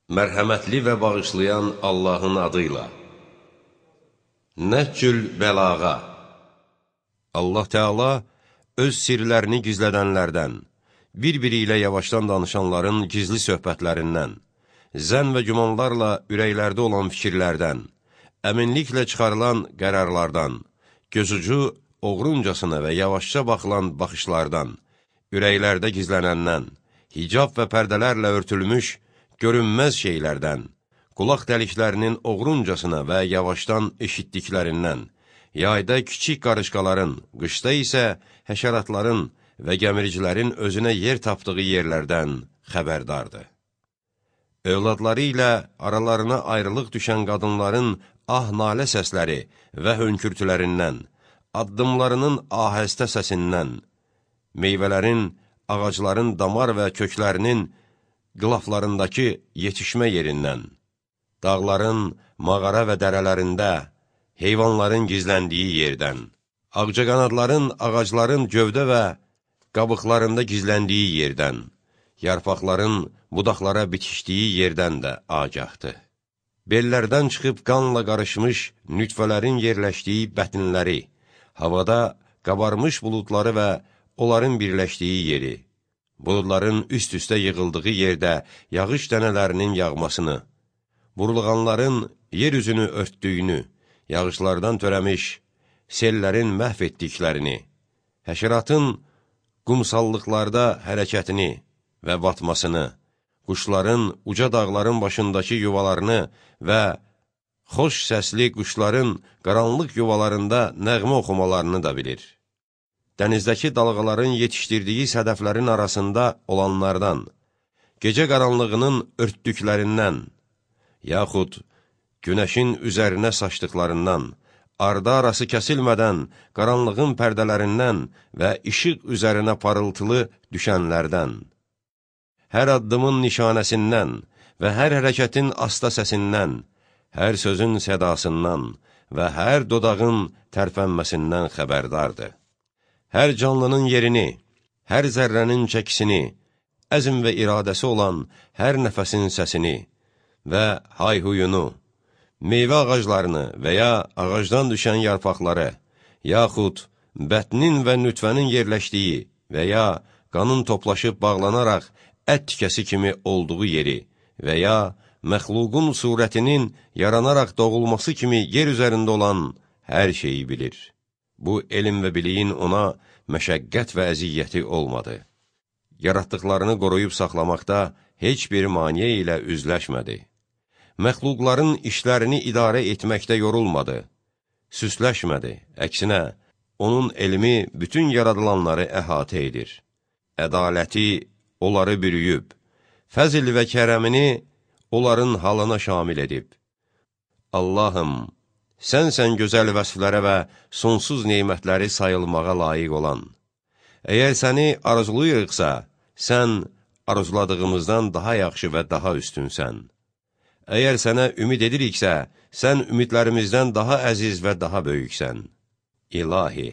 Mərhəmətli və bağışlayan Allahın adıyla. Nəhcül bəlağa. Allah Teala öz sirlərini gizlədənlərdən, bir-biri ilə yavaşdan danışanların gizli söhbətlərindən, zənn və gümanlarla ürəklərdə olan fikirlərdən, əminliklə çıxarılan qərarlardan, gözucu oğruncasına və yavaşça baxılan baxışlardan, ürəklərdə gizlənəndən, hicab və pərdələrlə örtülmüş görünməz şeylərdən, qulaq dəliklərinin oğruncasına və yavaşdan eşitdiklərindən, yayda kiçik qarışqaların, qışda isə həşəratların və gəmiricilərin özünə yer tapdığı yerlərdən xəbərdardır. Övladları ilə aralarına ayrılıq düşən qadınların ah-nalə səsləri və hönkürtülərindən, addımlarının ahəstə səsindən, meyvələrin, ağacların damar və köklərinin qılaflarındakı yetişmə yerindən, dağların, mağara və dərələrində, heyvanların gizləndiyi yerdən, ağcaqanadların, ağacların gövdə və qabıqlarında gizləndiyi yerdən, yarpaqların budaqlara bitişdiyi yerdən də agahdır. Bellərdən çıxıb qanla qarışmış nütfələrin yerləşdiyi bətinləri, havada qabarmış buludları və onların birləşdiyi yeri, buludların üst-üstə yığıldığı yerdə yağış dənələrinin yağmasını, burulğanların yer üzünü örtdüyünü, yağışlardan törəmiş sellərin məhv etdiklərini, həşəratın qumsallıqlarda hərəkətini və batmasını, quşların uca dağların başındakı yuvalarını və xoş səsli quşların qaranlıq yuvalarında nəğmə oxumalarını da bilir. Dənizdəki dalğaların yetişdirdiyi sədəflərin arasında olanlardan, gecə qaranlığının örtdüklərindən, yaxud günəşin üzərinə saçdıqlarından, ardı arası kəsilmədən qaranlığın pərdələrindən və işıq üzərinə parıltılı düşənlərdən, hər addımın nişanəsindən və hər hərəkətin asta səsindən, hər sözün sədasından və hər dodağın tərpənməsindən xəbərdardır. Hər canlının yerini, hər zərrənin çəkisini, əzm və iradəsi olan hər nəfəsin səsini və hayhuyunu, meyvə ağaclarını və ya ağacdan düşən yarpaqları, yaxud bətnin və nütvənin yerləşdiyi və ya qanın toplaşıb bağlanaraq ət tikəsi kimi olduğu yeri və ya məxluqun surətinin yaranaraq doğulması kimi yer üzərində olan hər şeyi bilir. Bu, elm və biliyin ona məşəqqət və əziyyəti olmadı. Yaratdıqlarını qoruyub saxlamaqda heç bir maniyə ilə üzləşmədi. Məxluqların işlərini idarə etməkdə yorulmadı, süsləşmədi. Əksinə, onun elmi bütün yaradılanları əhatə edir. Ədaləti onları bürüyüb, fəzl və kərəmini onların halına şamil edib. Allahım, sənsən gözəl vəsflərə və sonsuz neymətləri sayılmağa layiq olan. Əgər səni arzuluyuruqsa, sən arzuladığımızdan daha yaxşı və daha üstünsən. Əgər sənə ümid ediriksə, sən ümidlərimizdən daha əziz və daha böyüksən. İlahi,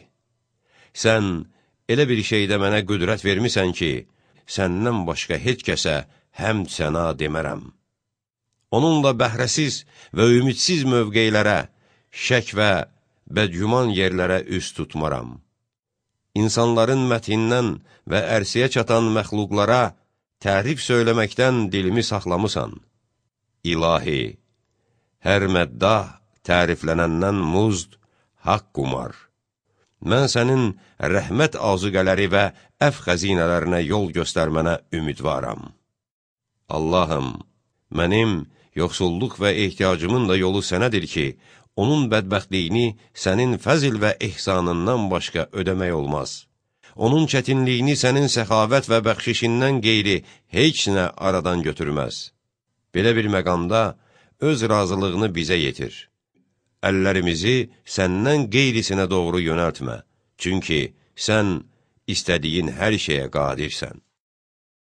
sən elə bir şeydə mənə qüdrət vermisən ki, səndən başqa heç kəsə həmd sənə demərəm. Onunla bəhrəsiz və ümidsiz mövqeylərə, şək və bədgüman yerlərə üz tutmaram. İnsanların məthindən və ərsiyə çatan məxluqlara tərif söyləməkdən dilimi saxlamısan. İlahi, hər məddah təriflənəndən muzd, haqq qumar. Mən sənin rəhmət azuqələri və əf xəzinələrinə yol göstərmənə ümidvaram. Allahım, mənim yoxsulluq və ehtiyacımın da yolu sənədir ki, onun bədbəxtliyini sənin fəzl və ehsanından başqa ödəmək olmaz. Onun çətinliyini sənin səxavət və bəxşişindən qeyri heç nə aradan götürməz. Belə bir məqamda öz razılığını bizə yetir. Əllərimizi səndən qeyrisinə doğru yönəltmə. Çünki sən istədiyin hər şeyə qadirsən.